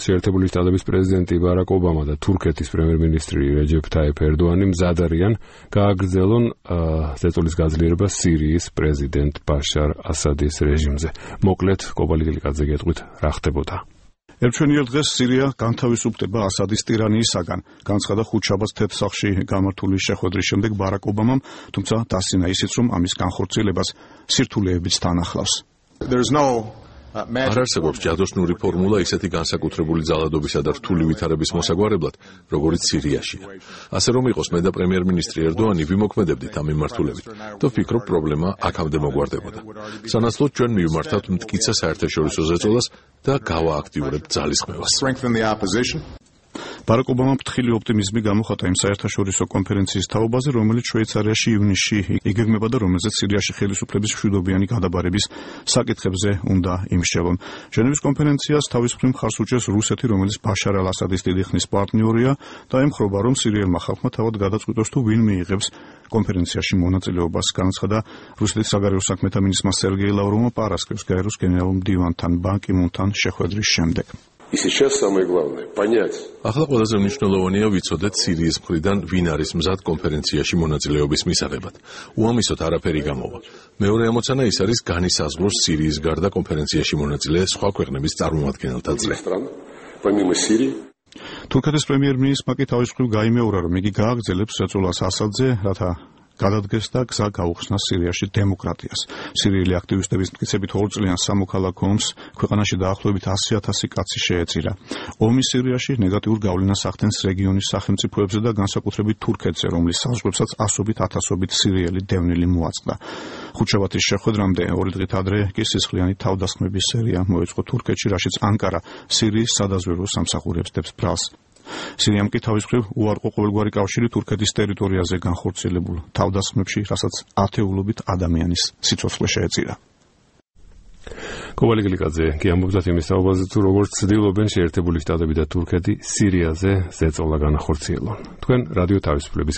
შეერთებული შტატების პრეზიდენტი ბარაკ ობამა და თურქეთის პრემიერ-მინისტრი რეჯეფ თაიფ ერდოანი მზად არიან გააგრძელონ ზეწოლის გაძლიერება სირიის პრეზიდენტ ბაშარ ასადის რეჟიმზე. მოკლედ, კობალი გილიკაძე გეტყვით რა ხდებოდა. ერთვენიერ დღეს სირია განთავისუფლდება ასადის ტირანიისაგან, განცხადა ხუთშაბათს თეთრსახში გამართული შეხვედრის შემდეგ ბარაკ ობამამ, თუმცა დასცინა ისიც, რომ ამის განხორციელებას სირთულეებიც თან ახლავს. არ არსებობს ჯადოსნური ფორმულა ისეთი განსაკუთრებული ძალადობისა და რთული ვითარების მოსაგვარებლად, როგორც სირიაშია. ასე რომ იყოს, მე და პრემიერ-მინისტრი ერდოანი ვიმოქმედებდით ამ მიმართულებით და ვფიქრობ, პრობლემა აქამდე მოგვარდებოდა. სანაცვლოდ ჩვენ მივმართავთ მტკიცა საერთაშორისო ზეწოლას და გავააქტიურებთ ძალისხმევას. ბარაკ ობამამ ფრთხილი ოპტიმიზმი გამოხატა იმ საერთაშორისო კონფერენციის თაობაზე, რომელიც შვეიცარიაში ივნისში იგეგმება და რომელზეც სირიაში ხელისუფლების მშვიდობიანი გადაბარების საკითხებზე უნდა იმშევონ. ჟენევის კონფერენციას თავის მხრივ მხარს უჭერს რუსეთი, რომელიც ბაშარ ალ-ასადის დიდი ხნის პარტნიორია და ემხრობა, რომ სირიელმა ხალხმა თავად გადაწყვიტოს თუ ვინ მიიღებს კონფერენციაში მონაწილეობას, განაცხადა რუსეთის საგარეო საქმეთა მინისტრმა სერგეი ლავროვმა პარასკევს გაეროს გენერალურ მდივანთან ბან კი მუნთან შეხვედრის შემდეგ. ახლა ყველაზე მნიშვნელოვანია ვიცოდეთ სირიის მხრიდან ვინ არის მზად კონფერენციაში მონაწილეობის მისაღებად. უამისოდ არაფერი გამოვა. მეორე ამოცანა ის არის განისაზღვროს სირიის გარდა კონფერენციაში მონაწილე სხვა ქვეყნების წარმომადგენელთა წრე. თურქეთის პრემიერ-მინისტრმა კი თავის მხრივ გაიმეორა, რომ იგი გააგრძელებს ზეწოლას ასადზე, რათა გადადგეს და გზა გაუხსნას სირიაში დემოკრატიას. სირიელი აქტივისტების მტკიცებით 2 წლიან სამოქალაქო ომს ქვეყანაში დაახლოებით 100,000 კაცი შეეწირა. ომი სირიაში ნეგატიურ გავლენას ახდენს რეგიონის სახელმწიფოებზე და განსაკუთრებით თურქეთზე, რომლის საზღვრებსაც ასობით ათასობით სირიელი დევნილი მოაწყდა. ხუთშაბათის შეხვედრამდე 2 დღით ადრე კი სისხლიანი თავდასხმების სერია მოეწყო თურქეთში, რაშიც ანკარა სირიის სადაზვერვო სამსახურებს დებს ბრალს. სირიამ კი თავის მხრივ უარყო ყოველგვარი კავშირი თურქეთის ტერიტორიაზე განხორციელებულ თავდასხმებში, რასაც ათეულობით ადამიანის სიცოცხლე შეეწირა. კობალი გილიკაძე კი ამბობდა იმის თაობაზე, თუ როგორც ცდილობენ შეერთებული შტატები და თურქეთი სირიაზე ზეწოლა განახორციელონ. თქვენ რადიო თავისუფლების